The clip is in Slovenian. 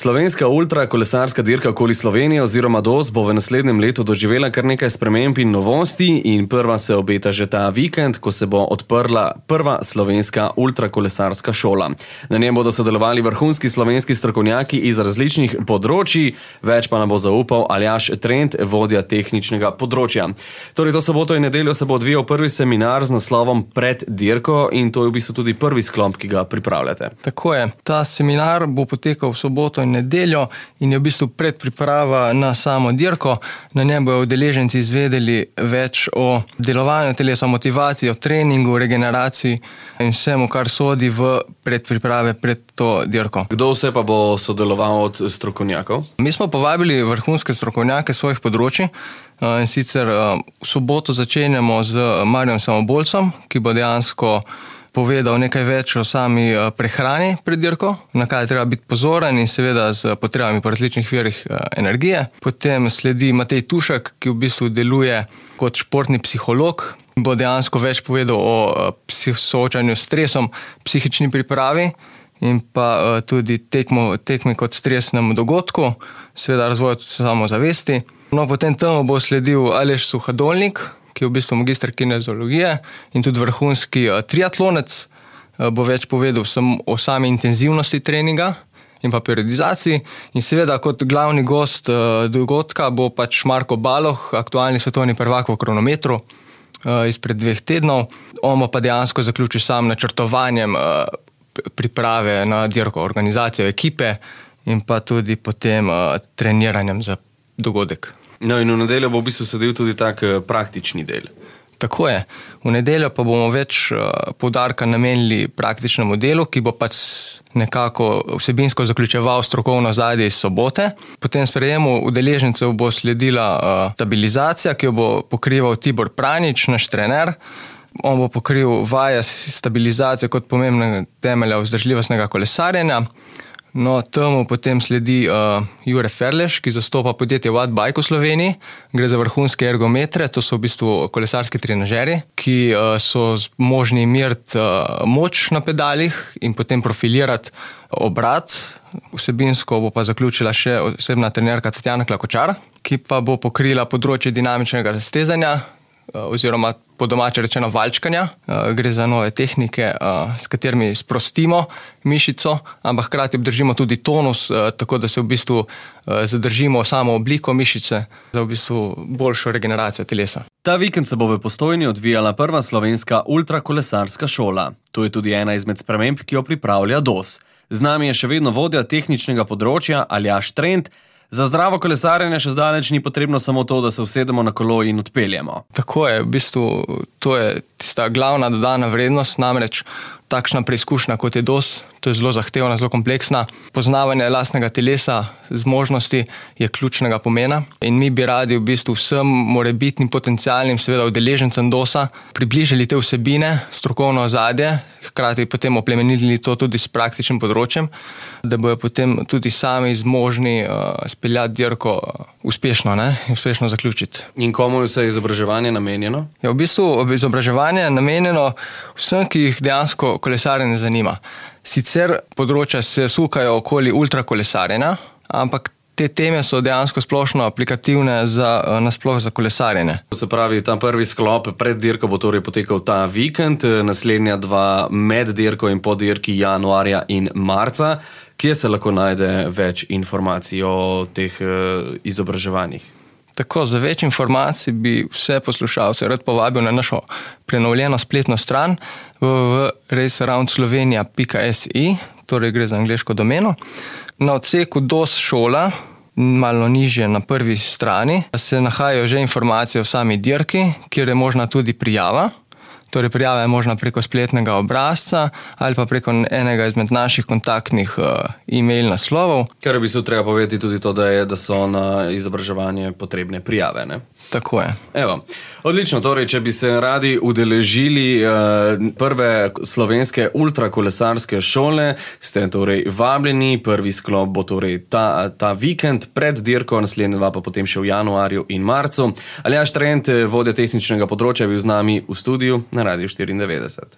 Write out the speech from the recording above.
Slovenska ultrakolesarska dirka okoli Slovenije oziroma DOS bo v naslednjem letu doživela kar nekaj sprememb in novosti in prva se obeta že ta vikend, ko se bo odprla prva slovenska ultrakolesarska šola. Na njem bodo sodelovali vrhunski slovenski strokovnjaki iz različnih področij, več pa nam bo zaupal Aljaž Trent, vodja tehničnega področja. Torej, to soboto in nedeljo se bo odvijal prvi seminar z naslovom Pred dirko in to je v bistvu tudi prvi sklop, ki ga pripravljate. Tako je. Ta seminar bo potekal v soboto in nedeljo in je v bistvu predpriprava na samo dirko. Na njem bodo udeleženci izvedeli več o delovanju telesa, motivaciji, o treningu, regeneraciji in vsemu, kar sodi v predpriprave pred to dirko. Kdo vse pa bo sodeloval od strokovnjakov? Mi smo povabili vrhunske strokovnjake svojih področij. In sicer v soboto začenjamo z Marjem Samobolcem, ki bo dejansko povedal nekaj več o sami prehrani pred dirko, na kaj treba biti pozoren in seveda z potrebami po različnih virih energije. Potem sledi Matej Tušek, ki v bistvu deluje kot športni psiholog, bo dejansko več povedal o soočanju s stresom, psihični pripravi in pa tudi tekmi kot stresnem dogodku, seveda razvoju samozavesti. No, potem temu bo sledil Aleš Suhadolnik, ki je v bistvu magister kineziologije in tudi vrhunski triatlonec, bo več povedal o sami intenzivnosti treninga in pa periodizaciji. In seveda kot glavni gost dogodka bo pač Marko Baloh, aktualni svetovni prvak v kronometru izpred 2 tednov. On bo pa dejansko zaključil sam načrtovanjem priprave na dirko, organizacijo ekipe in pa tudi potem treniranjem za dogodek. No in v nedeljo bo v bistvu sedel tudi tak praktični del. Tako je. V nedeljo pa bomo več poudarka namenili praktičnemu delu, ki bo pač nekako vsebinsko zaključeval strokovno ozadje iz sobote. Potem sprejemu udeležencev bo sledila stabilizacija, ki jo bo pokrival Tibor Pranič, naš trener. On bo pokril vaje stabilizacije kot pomembnega temelja vzdržljivostnega kolesarjenja. No, temu potem sledi Jure Ferleš, ki zastopa podjetje Wattbike v Sloveniji. Gre za vrhunske ergometre, to so v bistvu kolesarski trenažerji, ki so možni meriti moč na pedalih in potem profilirati obrat. Vsebinsko bo pa zaključila še osebna trenerka Tatjana Klakočar, ki pa bo pokrila področje dinamičnega raztezanja oziroma po domače rečeno valčkanja. Gre za nove tehnike, s katerimi sprostimo mišico, ampak hkrati obdržimo tudi tonus, tako da se v bistvu zadržimo samo obliko mišice za v bistvu boljšo regeneracijo telesa. Ta vikend se bo v Postojni odvijala prva slovenska ultrakolesarska šola. To je tudi ena izmed sprememb, ki jo pripravlja DOS. Z nami je še vedno vodja tehničnega področja Aljaž Trent. Za zdravo kolesarjenje še zdaleč ni potrebno samo to, da se usedemo na kolo in odpeljemo. Tako je, v bistvu to je tista glavna dodana vrednost, namreč takšna preizkušnja kot je DOS, to je zelo zahtevna, zelo kompleksna. Poznavanje lastnega telesa, zmožnosti je ključnega pomena in mi bi radi v bistvu vsem morebitnim potencialnim seveda udeležencem DOS-a približali te vsebine, strokovno ozadje, hkrati potem oplemenili to tudi s praktičnim področjem, da bojo potem tudi sami zmožni speljati dirko uspešno zaključiti. In komu je vse izobraževanje namenjeno? Ja, v bistvu izobraževanje je namenjeno vsem, ki jih dejansko kolesarjenje zanima. Sicer področja se sukajo okoli ultrakolesarjenja, ampak te teme so dejansko splošno aplikativne nasploh za kolesarjenje. Se pravi, ta prvi sklop pred dirko bo torej potekal ta vikend, naslednja 2 med dirko in po dirki januarja in marca. Kje se lahko najde več informacij o teh izobraževanjih? Tako, za več informacij bi vse poslušalce rad povabil na našo prenovljeno spletno stran www.racearoundslovenia.si, torej gre za angleško domeno. Na odseku DOS šola, malo nižje na prvi strani, se nahajajo že informacije o sami dirki, kjer je možna tudi prijava. Torej, prijava je možna preko spletnega obrazca ali pa preko enega izmed naših kontaktnih e-mail naslovov. Kar bi se treba povedati tudi to, da so na izobraževanje potrebne prijave, ne? Tako je. Evo, odlično, torej, če bi se radi udeležili prve slovenske ultrakolesarske šole, ste torej vabljeni, prvi sklop bo torej ta vikend pred dirko, naslednja 2 pa potem še v januarju in marcu. Aljaž Trent, vodja tehničnega področja, je bil z nami v studiu na Radiu 94.